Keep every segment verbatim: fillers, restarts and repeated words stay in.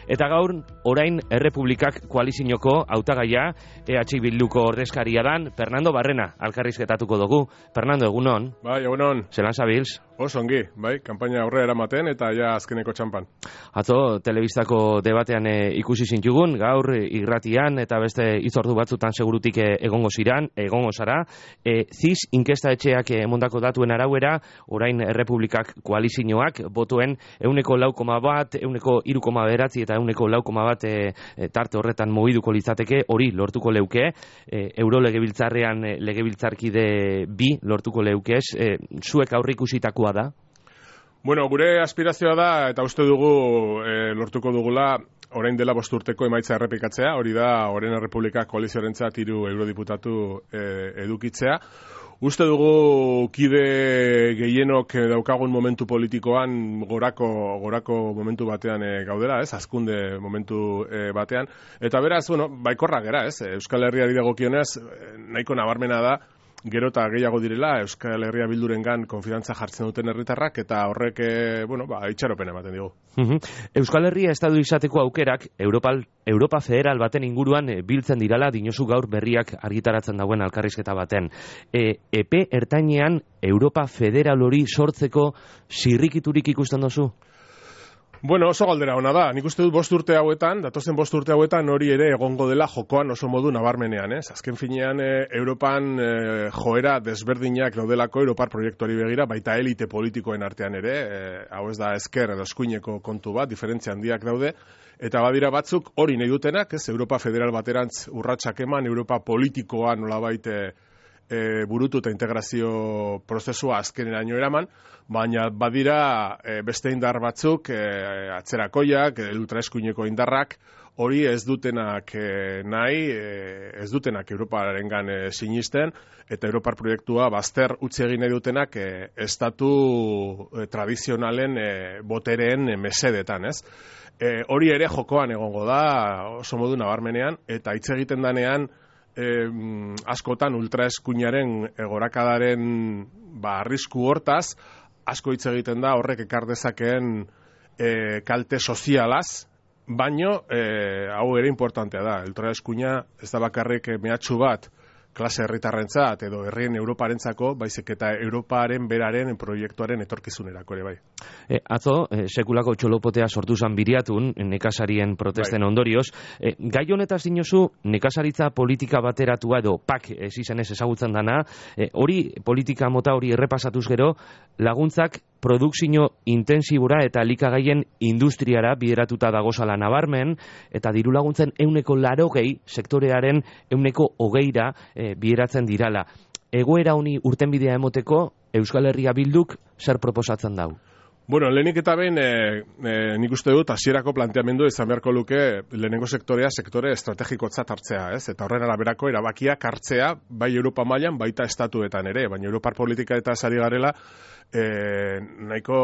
Eta gaur, orain Errepublikak koalizioko hautagaia E H Bilduko ordezkaria dan, Fernando Barrena, alkarrizketatuko dugu. Fernando, egunon. Bai, egunon. Zelan zabilz? Oso ongi, bai, kanpaina aurrera eramaten eta ja azkeneko txampan. Atzo, telebistako debatean e, ikusi zintugun, gaur irratian eta beste itzordu batzutan segurutik e, egongo ziran, egongo zara. E, ziz, inkesta etxeak emondako datuen arauera, orain Errepublikak koalizioak, botuen euneko lau koma bat, euneko hiru koma bederatzi eta euneko lau koma bat e, e, tarte horretan mugiduko litzateke, hori lortuko leuke, e, euro legebiltzarrean e, legebiltzarkide bi lortuko leukez, e, zuek aurrikusitakoa da? Bueno, gure aspirazioa da, eta uste dugu e, lortuko dugula, orain dela bost urteko emaitza errepikatzea, hori da, orain Errepublikak koalizioarentzat hiru eurodiputatu e, edukitzea. Uste dugu kide gehienok daukagun momentu politikoan gorako, gorako momentu batean e, gaudela, ez? Hazkunde momentu e, batean. Eta beraz, bueno, baikorra gera, ez? Euskal Herriari dagokionez, nahiko nabarmena da, gero eta gehiago direla Euskal Herria Bildurengan konfidantza jartzen duten herritarrak eta horrek, e, bueno, ba, itxaropen ematen digu. Euskal Herria estatu izateko aukerak Europa, Europa federal baten inguruan e, biltzen dirala dinosu gaur berriak argitaratzen dauen alkarrizketa baten. E, epe ertainean Europa federal hori sortzeko zirrikiturik ikusten dozu? Bueno, oso galdera ona da. Nik uste dut bost urte hauetan, datozen bost urte hauetan hori ere egongo dela jokoan oso modu nabarmenean, ez? Azken finean, e, Europan e, joera desberdinak daudelako Europar proiektuari begira, baita elite politikoen artean ere, e, hau ez da ezker edo eskuineko kontu bat, diferentzia handiak daude, eta badira batzuk hori nahi dutenak, ez? Europa federal baterantz urratsak eman, Europa politikoa nolabait e, e, burutu eta integrazio prozesua azkeneraino eraman, baina badira e, beste indar batzuk, e, atzerakoiak, e, ultraeskuineko indarrak, hori ez dutenak e, nahi, e, ez dutenak Europarengan e, sinisten, eta Europar proiektua bazter utzi egin nahi dutenak e, estatu e, tradizionalen e, botereen e, mesedetan, ez? E, hori ere jokoan egongo da, oso modu nabarmenean, eta hitz egiten danean, E, askotan ultraeskuinaren gorakadaren ba, arrisku hortaz, asko hitz egiten da horrek ekar dezakeen e, kalte sozialaz, baino e, hau ere importantea da. Ultraeskuina ez da bakarrik mehatxu bat klase herritarrentzat edo herrien Europarentzako, baizik eta Europaren beraren proiektuaren etorkizunerako ere bai. E, atzo, e, sekulako txolopotea sortu zan biriatun, nekazarien protesten bai. Ondorioz. E, gai honetaz dinozu, nekazaritza politika bateratua edo P A K ez izanez ezagutzen dana, e, hori politika mota hori errepasatuz gero, laguntzak produkzio intensibura eta elikagaien industriara bideratuta dagozala nabarmen, eta diru laguntzen euneko larogei sektorearen euneko hogeira e, bideratzen dirala. Egoera honi urtenbidea emoteko Euskal Herria Bilduk zer proposatzen dau? Bueno, lehenik eta behin, e, e, nik uste dut, hasierako planteamendu izan beharko luke lehenengo sektorea sektore estrategikotzat hartzea, ez? Eta horren araberako erabakiak hartzea, bai Europa mailan, baita estatuetan ere, baina Europar politika eta sari garela, e, nahiko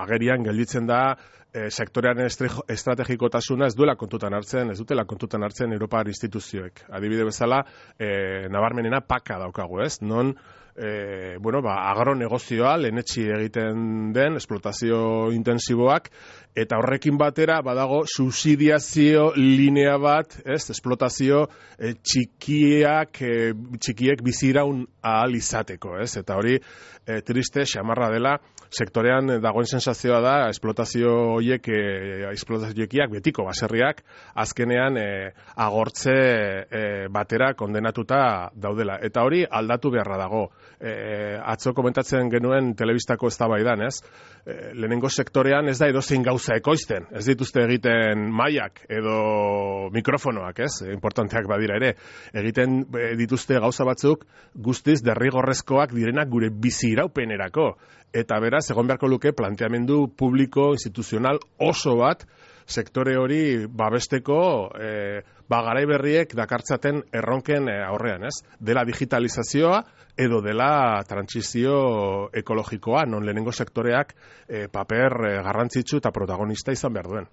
agerian gelditzen da, e, sektorearen estrategikotasuna ez duela kontutan hartzen, ez dutela kontutan hartzen Europar instituzioek. Adibide bezala, e, nabarmenena paka daukagu, ez? Non, E, bueno, ba, agronegozioa lehenetxi egiten den, esplotazio intensiboak, eta horrekin batera badago subsidiazio linea bat, ez, esplotazio e, txikiak, e, txikiek biziraun ahal izateko, ez, eta hori e, triste, xamarra dela, sektorean dagoen sensazioa da, esplotazio horiek, e, esplotazioekiak, betiko baserriak, azkenean e, agortze e, batera kondenatuta daudela, eta hori aldatu beharra dago. E, atzo komentatzen genuen telebistako eztabaidan, ez? E, lehenengo sektorean ez da edozein gauza ekoizten, ez dituzte egiten mailak edo mikrofonoak, ez? E, importanteak badira ere, egiten e, dituzte gauza batzuk guztiz derrigorrezkoak direnak gure bizi iraupenerako, eta beraz egon beharko luke planteamendu publiko instituzional oso bat sektore hori babesteko e, ba, garai berriek dakartzaten erronken e, aurrean, ez? Dela digitalizazioa edo dela trantsizio ekologikoa, non lehenengo sektoreak e, paper e, garrantzitsu eta protagonista izan behar duen.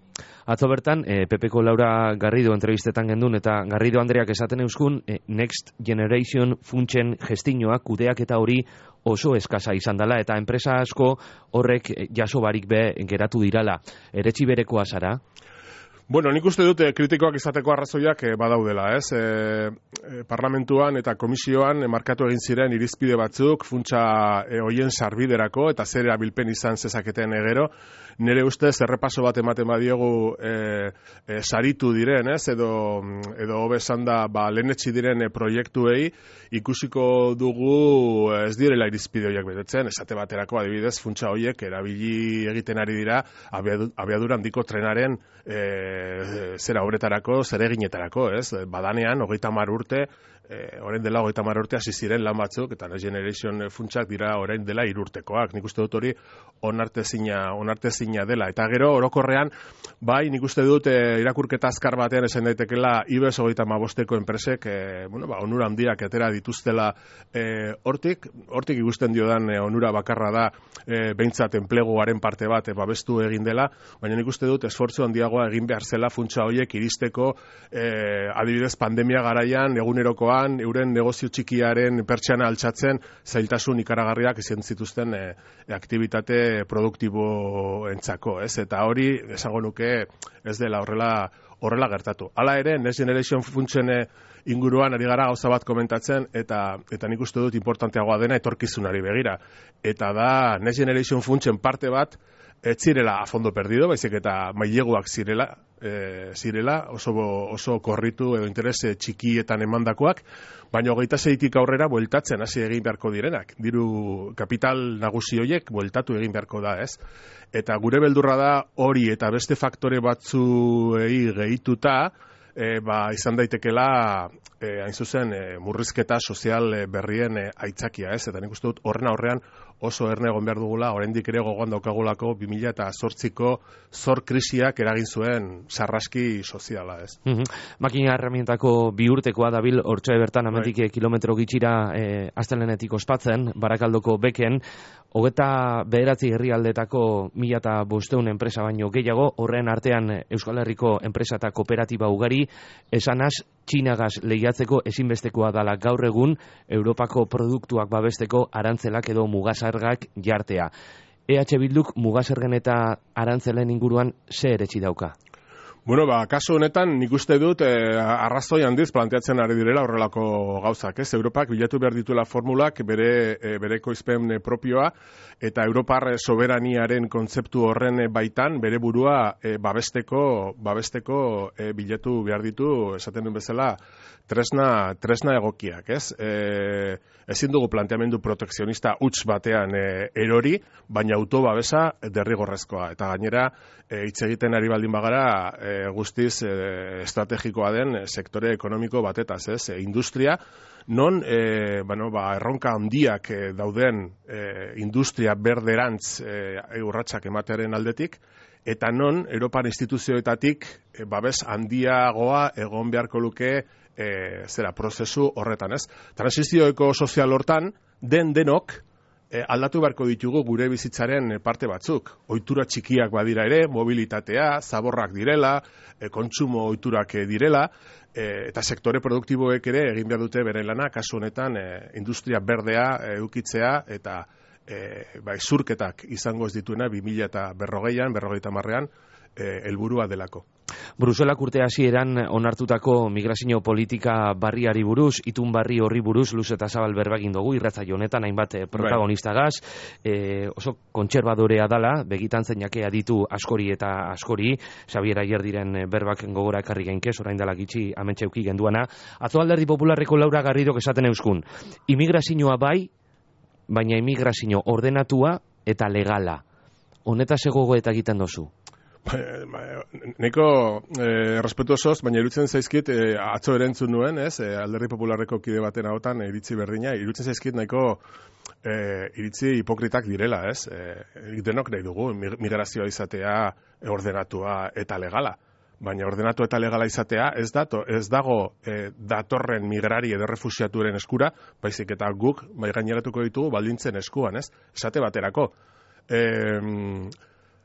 Atzo bertan, e, Pepeko Laura Garrido entrevistetan gendun, eta Garrido Andreak esaten euskun, e, Next Generation funtsen gestinoa, kudeak eta hori oso eskasa izan dela, eta enpresa asko horrek jaso barik be geratu dirala. Eretsi berekoa zara? Bueno, nik uste dut kritikoak izateko arrazoiak eh, badaudela, ez? E, parlamentuan eta komisioan markatu egin ziren irizpide batzuk, funtsa e, hoien sarbiderako eta zer erabilpen izan zezaketen egero. Nire ustez errepaso bat ematen badiogu e, e, saritu diren, ez? Edo, edo hobe esan da, ba, lehenetsi diren e, proiektuei ikusiko dugu ez direla irizpide horiek betetzen, esate baterako adibidez, funtsa horiek erabili egiten ari dira abiadura handiko trenaren e, zera obretarako, zereginetarako, ez? Badanean, hogeita hamar urte, e, orain dela hogeita hamar urte hasi ziren lan batzuk, eta Next Generation funtsak dira orain dela hirurtekoak. Nik uste dut hori onartezina, onartezina dela. Eta gero, orokorrean, bai, nik uste dut e, irakurketa azkar batean esan daitekela Ibez hogeita hamabosteko enpresek, e, bueno, ba, onura handiak atera dituztela e, hortik, hortik ikusten diodan e, onura bakarra da e, behintzat enpleguaren parte bat e, babestu egin dela, baina nik uste dut esfortzu handiagoa egin behar zela funtsa horiek iristeko e, adibidez pandemia garaian, egunerokoan, euren negozio txikiaren pertsiana altxatzen zailtasun ikaragarriak izan zituzten e, aktivitate produktibo entzako, ez? Eta hori, esango nuke, ez dela horrela horrela gertatu. Hala ere, Next Generation funtsen inguruan ari gara gauza bat komentatzen, eta eta nik uste dut importanteagoa dena etorkizunari begira. Eta da, Next Generation funtsen parte bat, ez zirela a fondo perdido, baizik eta maileguak zirela, e, zirela oso, oso korritu edo interes txikietan emandakoak, baina hogeita seitik aurrera bueltatzen hasi egin beharko direnak. Diru kapital nagusi horiek bueltatu egin beharko da, ez? Eta gure beldurra da hori eta beste faktore batzuei gehituta, e, ba, izan daitekela e, hain zuzen e, murrizketa sozial e, berrien e, aitzakia, ez? Eta nik uste dut horren aurrean oso erne egon behar dugula, oraindik ere gogoan daukagulako bi mila zortziko zor krisiak eragin zuen sarraski soziala, ez? Mm-hmm. Makina herramientako bi urtekoa dabil, hortxe bertan amendik right. kilometro gitxira e, astelenetik ospatzen, Barakaldoko beken, hogeta bederatzi herrialdetako mila eta bosteun enpresa baino gehiago, horren artean Euskal Herriko enpresa eta kooperatiba ugari, esanaz, Txinagaz lehiatzeko ezinbestekoa dala gaur egun Europako produktuak babesteko arantzelak edo mugasargak jartea. E H Bilduk mugasergen eta arantzelen inguruan ze eretsi dauka? Bueno, ba, kasu honetan nik uste dut eh, arrazoi handiz planteatzen ari direla horrelako gauzak, ez? Europak bilatu behar dituela formulak bere, e, bere ekoizpen propioa eta Europar soberaniaren kontzeptu horren baitan bere burua e, babesteko, babesteko e, bilatu behar ditu, esaten duen bezala, tresna, tresna egokiak, ez? E, ezin dugu planteamendu protekzionista huts batean e, erori, baina autobabesa derrigorrezkoa. Eta gainera, e, hitz egiten ari baldin bagara, e, guztiz e, estrategikoa den sektore ekonomiko batetaz, ez? E, industria, non e, bueno, ba, erronka handiak e, dauden e, industria berderantz e, urratsak ematearen aldetik, eta non Europan instituzioetatik e, babes handiagoa egon beharko luke e, zera prozesu horretan, ez? Transizioeko sozial hortan, den denok e, aldatu beharko ditugu gure bizitzaren parte batzuk. Ohitura txikiak badira ere, mobilitatea, zaborrak direla, e, kontsumo ohiturak direla, e, eta sektore produktiboek ere egin behar dute bere lana, kasu honetan e, industria berdea e, edukitzea eta e, bai, zurketak izango ez dituena bi mila berrogeian, berrogeita hamarrean, helburua delako. Bruselak urte hasieran onartutako migrazio politika barriari buruz, itun barri horri buruz, luz eta zabal berbagin dugu, irratzaio honetan hainbat protagonistagaz, e, oso kontserbadorea dala, begitan zeinake aditu askori eta askori, Xabier Aier diren berbak gogora ekarri gainkez, orain dela gitxi amentxeuki genduana. Atzo Alderdi Popularreko Laura Garridok esaten euskun, imigrazioa bai, baina imigrazio ordenatua eta legala. Honetaz egogo eta egiten dozu? Neko eh, respetu osoz, baina irutzen zaizkit eh, atzo erentzun nuen, ez, eh, Alderdi Popularreko kide baten hautan eh, iritzi berdina, irutzen zaizkit nahiko eh, iritzi hipokritak direla, ez, eh, denok nahi dugu migrazioa izatea ordenatua eta legala, baina ordenatu eta legala izatea ez, dato, ez dago eh, datorren migrari edo refusiaturen eskura, baizik eta guk bai gaineratuko ditugu baldintzen eskuan, ez, esate baterako. Eh,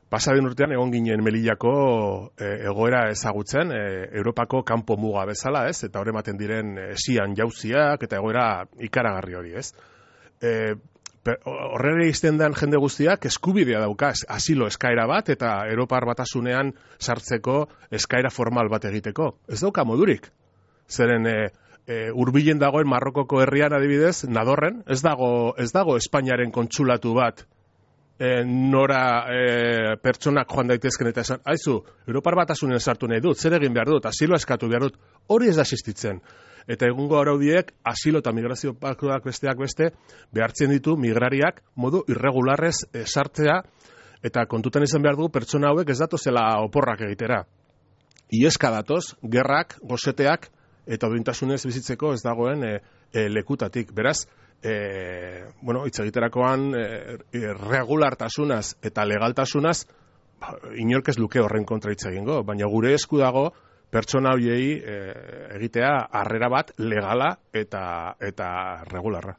Pasaden urtean egon ginen Melillako e, egoera ezagutzen, e, Europako kanpo muga bezala, ez? Eta hor ematen diren esian jauziak eta egoera ikaragarri hori, ez? E, horrere izten den jende guztiak eskubidea dauka asilo eskaera bat eta Europar Batasunean sartzeko eskaera formal bat egiteko. Ez dauka modurik. Zeren e, e, hurbilen dagoen Marrokoko herrian adibidez, Nadorren, ez dago, ez dago Espainiaren kontsulatu bat e, nora e, pertsonak joan daitezken eta esan, haizu, Europar Batasunean sartu nahi dut, zer egin behar dut, asilo eskatu behar dut, hori ez da existitzen. Eta egungo araudiek asilo eta migrazio paktuak besteak beste behartzen ditu migrariak modu irregularrez e, sartzea eta kontutan izan behar du pertsona hauek ez datozela oporrak egitera. Ieska datoz, gerrak, goseteak eta duintasunez bizitzeko ez dagoen e, e, lekutatik. Beraz, e, bueno, hitz egiterakoan e, regulartasunaz eta legaltasunaz ba, inork ez luke horren kontra hitz egingo, baina gure esku dago pertsona horiei e, egitea harrera bat legala eta eta regularra.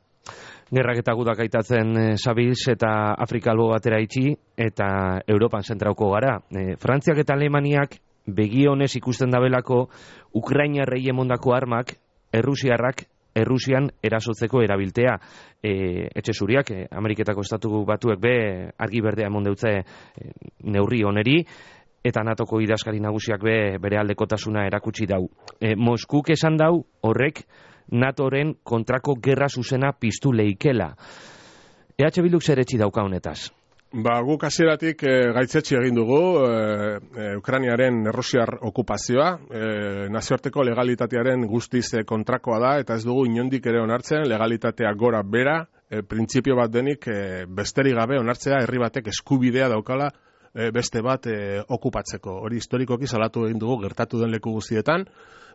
Gerrak eta gudak aitatzen e, Sabils eta Afrika albo batera itxi eta Europan zentrauko gara. E, Frantziak eta Alemaniak begionez ikusten dabelako Ukrainarrei emondako armak Errusiarrak Errusian erasotzeko erabiltea. E, etxe zuriak, e, Ameriketako estatu batuek be argi berdea emon deutze e, neurri oneri, eta natoko idazkari nagusiak be bere aldekotasuna erakutsi dau. E, Moskuk esan dau horrek NATOren kontrako gerra zuzena piztu leikela. E H Bilduk zer etxi dauka honetaz? Ba, guk hasieratik e, gaitzetsi egin dugu e, e, Ukrainiaren errusiar okupazioa, e, nazioarteko legalitatearen guztiz kontrakoa da, eta ez dugu inondik ere onartzen legalitatea gora bera, e, printzipio bat denik e, besterik gabe onartzea herri batek eskubidea daukala beste bat e, okupatzeko. Hori historikoki salatu egin dugu gertatu den leku guztietan,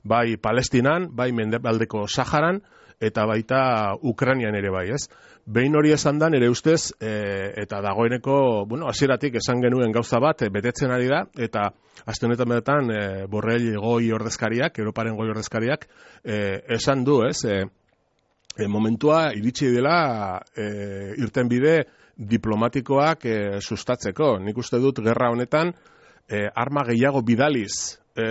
bai Palestinan, bai Mendebaldeko Saharan, eta baita Ukrainian ere bai, ez? Behin hori esan da, nire ustez, e, eta dagoeneko, bueno, hasieratik esan genuen gauza bat, e, betetzen ari da, eta aste honetan betetan, e, Borrell goi ordezkariak, Europaren goi ordezkariak, e, esan du, ez? E, e, momentua iritsi dela e, irten bide diplomatikoak e, sustatzeko. Nik uste dut gerra honetan e, arma gehiago bidaliz e,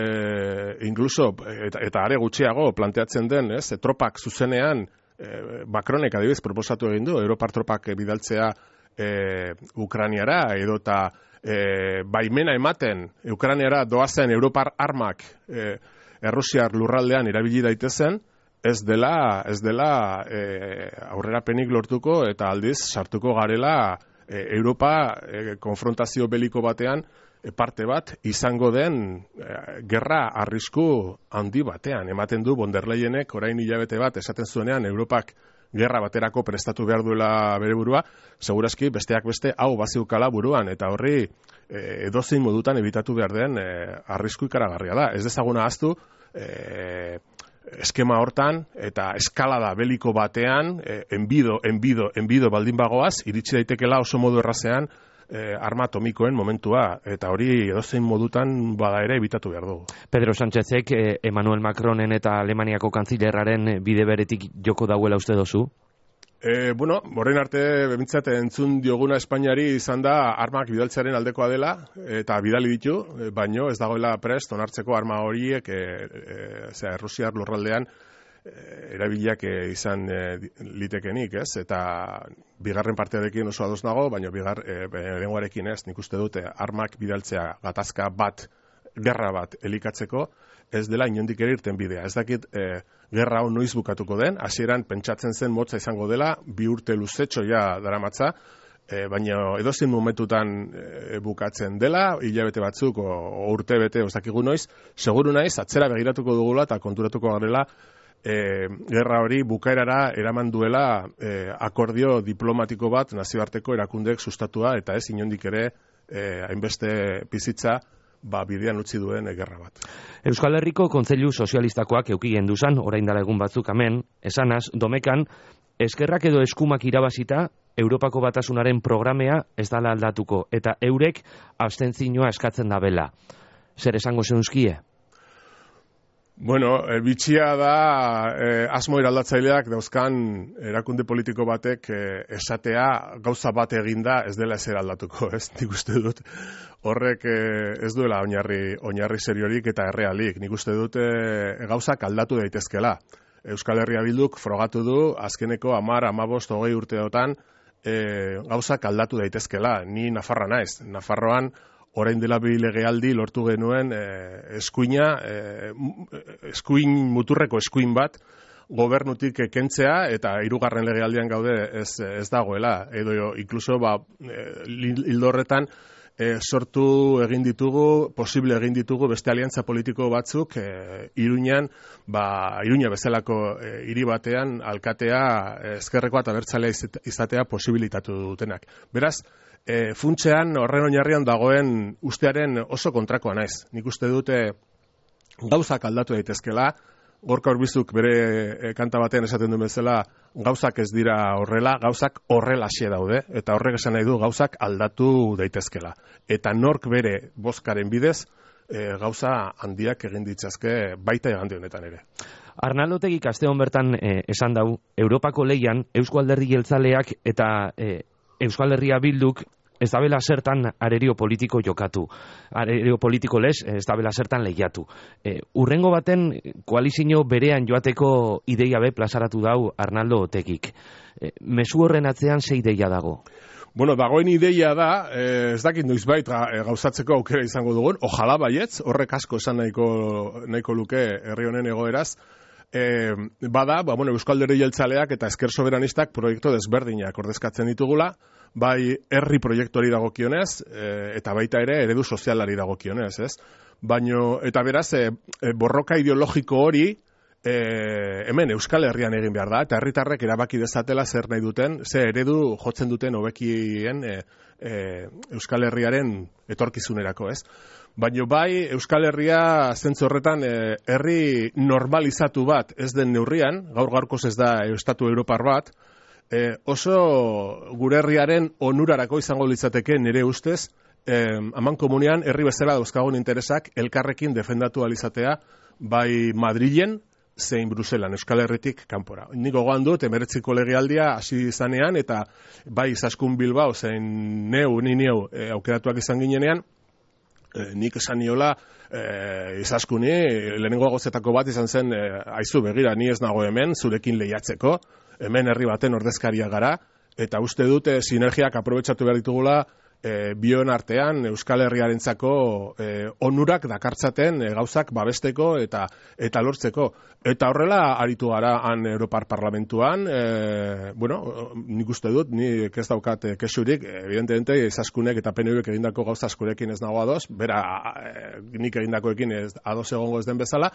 incluso eta, eta are gutxiago planteatzen den, ez, e, tropak zuzenean e, Macronek adibidez proposatu egin du Europar tropak bidaltzea e, Ukrainiara edota e, baimena ematen Ukrainiara doazen Europar armak e, Errusiar lurraldean erabili daitezen, ez dela, ez dela e, aurrerapenik lortuko eta aldiz sartuko garela e, Europa e, konfrontazio beliko batean e, parte bat izango den e, gerra arrisku handi batean. Ematen du von der Leyenek orain hilabete bat esaten zuenean Europak gerra baterako prestatu behar duela bere burua, segurazki besteak beste hau baziukala buruan eta horri e, edozein modutan ebitatu behar den e, arrisku ikaragarria da. Ez dezaguna ahaztu e, eskema hortan eta eskalada beliko batean eh, enbido, enbido, enbido baldin bagoaz, iritsi daitekela oso modu errazean eh, arma atomikoen momentua, eta hori edozein modutan bada ere ebitatu behar dugu. Pedro Sánchezek eh, Emmanuel Macronen eta Alemaniako kantzilerraren bide beretik joko dauela uste dozu? E, bueno, borrein arte bemintzat entzun dioguna Espainiari izan da armak bidaltzearen aldekoa dela eta bidali ditu, baino ez dagoela prest onartzeko arma horiek e, e, zera, Errusiar lurraldean e, erabiliak e, izan e, litekenik, ez? Eta bigarren partearekin oso ados nago, baino bigar e, lehenguarekin ez, nik uste dute armak bidaltzea gatazka bat, gerra bat elikatzeko, ez dela inondik ere irten bidea. Ez dakit e, gerra hau noiz bukatuko den, hasieran pentsatzen zen motza izango dela, bi urte luzetxo ja daramatza, e, baina edozein momentutan e, bukatzen dela, hilabete batzuk o, o urte bete, ez dakigu noiz, seguru naiz, atzera begiratuko dugula eta konturatuko garela e, gerra hori bukaerara eraman duela e, akordio diplomatiko bat nazioarteko erakundek sustatua eta ez inondik ere e, hainbeste bizitza ba, bidean utzi duen gerra bat. Euskal Herriko Kontseilu Sozialistakoak eukien duzan, orain dela egun batzuk hemen, esanaz, domekan, eskerrak edo eskumak irabazita, Europako Batasunaren programea ez dala aldatuko, eta eurek abstentzioa eskatzen dabela. Zer esango zeunzkie? Bueno, e, bitxia da e, asmo eraldatzaileak dauzkan erakunde politiko batek e, esatea gauza bat eginda ez dela ezer aldatuko, ez? Nik uste dut horrek e, ez duela oinarri, oinarri seriorik eta errealik. Nik uste dut e, gauzak aldatu daitezkela. Euskal Herria Bilduk frogatu du azkeneko hamar, hamabost, hogei urteotan e, gauzak aldatu daitezkela. Ni Nafarra naiz. Nafarroan orain dela bi legealdi lortu genuen e, eskuina, e, eskuin muturreko eskuin bat gobernutik kentzea eta hirugarren legealdian gaude ez, ez dagoela. Edo inkluso ba, hildo horretan e, sortu egin ditugu, posible egin ditugu beste aliantza politiko batzuk e, Iruñan, ba, Iruña bezalako e, hiri batean alkatea e, ezkerrekoa eta abertzalea izatea posibilitatu dutenak. Beraz, e, funtsean horren oinarrian dagoen ustearen oso kontrakoa naiz. Nik uste dute gauzak aldatu daitezkela. Gorka Urbizuk bere e, kanta batean esaten du bezala, gauzak ez dira horrela, gauzak horrelaxe daude, eta horrek esan nahi du gauzak aldatu daitezkela. Eta nork bere bozkaren bidez, e, gauza handiak egin ditzazke baita igande honetan ere. Arnaldo Otegik aste hon bertan e, esan dau, Europako leian Eusko Alderdi Jeltzaleak eta e, Euskal Herria Bilduk ez dabela zertan arerio politiko jokatu. Arerio politiko lez, ez dabela zertan lehiatu. E, urrengo baten koalizio berean joateko ideia be plazaratu dau Arnaldo Otegik. E, mezu horren atzean ze ideia dago? Bueno, dagoen ideia da, eh, ez dakit noizbait gauzatzeko aukera izango dugun, ojala baietz, horrek asko esan nahiko, nahiko luke herri honen egoeraz, eh, bada, ba, bueno, Euskal Alderdi Jeltzaleak eta Ezker Soberanistak proiektu desberdinak ordezkatzen ditugula, bai herri proiektuari dagokionez, e, eta baita ere eredu sozialari dagokionez, ez? Baino, eta beraz, e, e, borroka ideologiko hori e, hemen Euskal Herrian egin behar da, eta herritarrek erabaki dezatela zer nahi duten, ze eredu jotzen duten hobekien e, e, Euskal Herriaren etorkizunerako, ez? Baino bai, Euskal Herria zentzu horretan e, herri normalizatu bat ez den neurrian, gaur gaurkoz ez da estatu europar bat, E, oso gure herriaren onurarako izango litzateke nire ustez, e, aman komunean herri bezala dauzkagun interesak elkarrekin defendatu alizatea bai Madrilen zein Bruselan, Euskal Herritik kanpora. Niko gogoan dut, emeretziko legealdia hasi izanean, eta bai Izaskun Bilbao zein neu, ni neu e, aukeratuak izan ginenean, e, nik esan niola, e, Izaskuni, lehenengo agozetako bat izan zen, e, aizu begira, ni ez nago hemen, zurekin lehiatzeko, hemen herri baten ordezkaria gara, eta uste dute sinergiak aprobetxatu behar ditugula e, bion artean Euskal Herriarentzako e, onurak dakartzaten e, gauzak babesteko eta eta lortzeko. Eta horrela aritu gara han Europar Parlamentuan, e, bueno, nik uste dut, nik ez daukat e, kesurik, evidentemente Izaskunek eta P N Vek egindako gauza askorekin ez nago ados, bera e, nik egindakoekin ez ados egongo ez den bezala,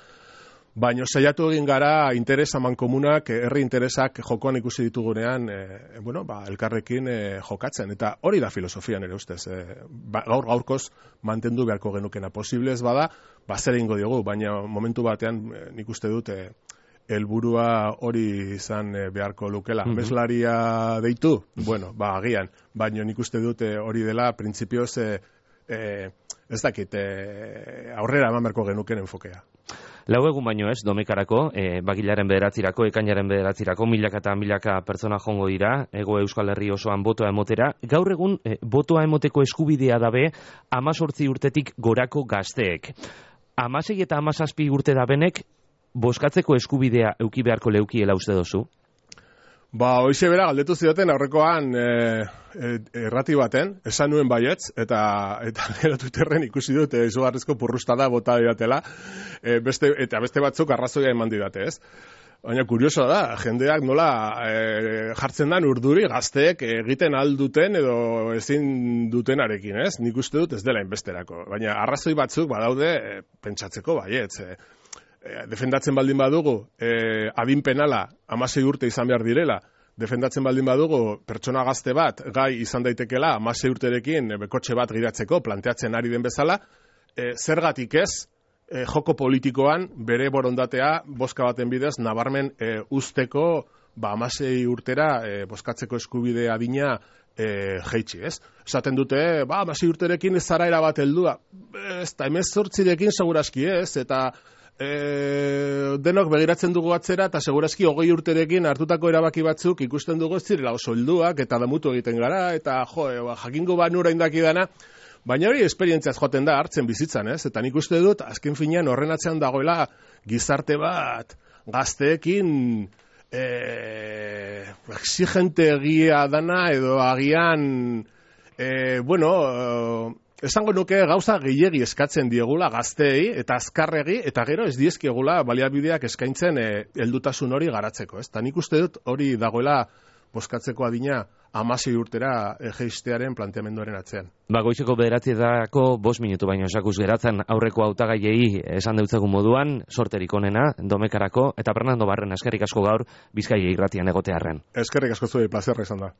baina saiatu egin gara interes amankomunak, herri interesak jokoan ikusi ditugunean, e, bueno, ba, elkarrekin e, jokatzen. Eta hori da filosofian ere ustez. E, ba, gaur gaurkoz mantendu beharko genukena. Posible ez bada, ba, zer egingo diogu, baina momentu batean e, nik uste dut e, helburua hori izan e, beharko lukela. Mm-hmm. Meslaria deitu? Bueno, ba, agian. Baina nik uste dut e, hori dela, printzipioz, e, e, ez dakit, e, aurrera eman beharko genuken enfokea. Lau egun baino ez, domekarako, e, bagilaren bederatzirako, ekainaren bederatzirako, milaka eta milaka pertsona jongo dira, ego Euskal Herri osoan botoa emotera. Gaur egun, e, botoa emoteko eskubidea dabe, amazortzi urtetik gorako gazteek. Amasei eta amazazpi urte dabenek, boskatzeko eskubidea euki beharko leukiela uste dozu? Ba, hoize bera, galdetu zioten aurrekoan e, e, errati baten, esan nuen baietz, eta eta gero Twitterren ikusi dut e, izugarrizko purrustada bota didatela, e, beste, eta beste batzuk arrazoia eman didate, ez? Baina kurioso da, jendeak nola e, jartzen dan urduri gazteek egiten alduten edo ezin dutenarekin, ez? Nik uste dut ez dela inbesterako, baina arrazoi batzuk badaude e, pentsatzeko baietz, e, defendatzen baldin badugu, eh, adin penala hamasei urte izan behar direla, defendatzen baldin badugu pertsona gazte bat gai izan daitekela hamasei urterekin e, kotxe bat giratzeko planteatzen ari den bezala, e, zergatik ez e, joko politikoan bere borondatea bozka baten bidez nabarmen e, usteko ba, hamasei urtera e, bozkatzeko eskubide adina e, jeitsi, ez? Esaten dute, ba, hamasei urterekin ez zara erabat heldua, ez da hemezortzirekin seguraski ez, eta E, denok begiratzen dugu atzera eta segurazki hogei urterekin hartutako erabaki batzuk ikusten dugu ez zirela oso helduak eta damutu egiten gara eta jo, e, ba, jakingo banura indakidana, baina hori esperientziaz joaten da hartzen bizitzan, ez? Eta nik uste dut azken finean horren atzean dagoela gizarte bat gazteekin e, exigente egia dana, edo agian, e, bueno, e, esango nuke gauza gehiegi eskatzen diegula gazteei, eta azkarregi, eta gero ez diezkiegula baliabideak eskaintzen e, heldutasun hori garatzeko, ez? Ta nik uste dut hori dagoela boskatzeko adina hamasei urtera jeistearen planteamenduaren atzean. Ba, goizeko bederatzietako bost minutu baino esakuz geratzen aurreko hautagaiei esan deutzagun moduan, sorterik onena, Domekarako, eta Fernando Barren eskerrik asko gaur Bizkaia irratian egotearren. Eskerrik asko zuei plazerra izan da.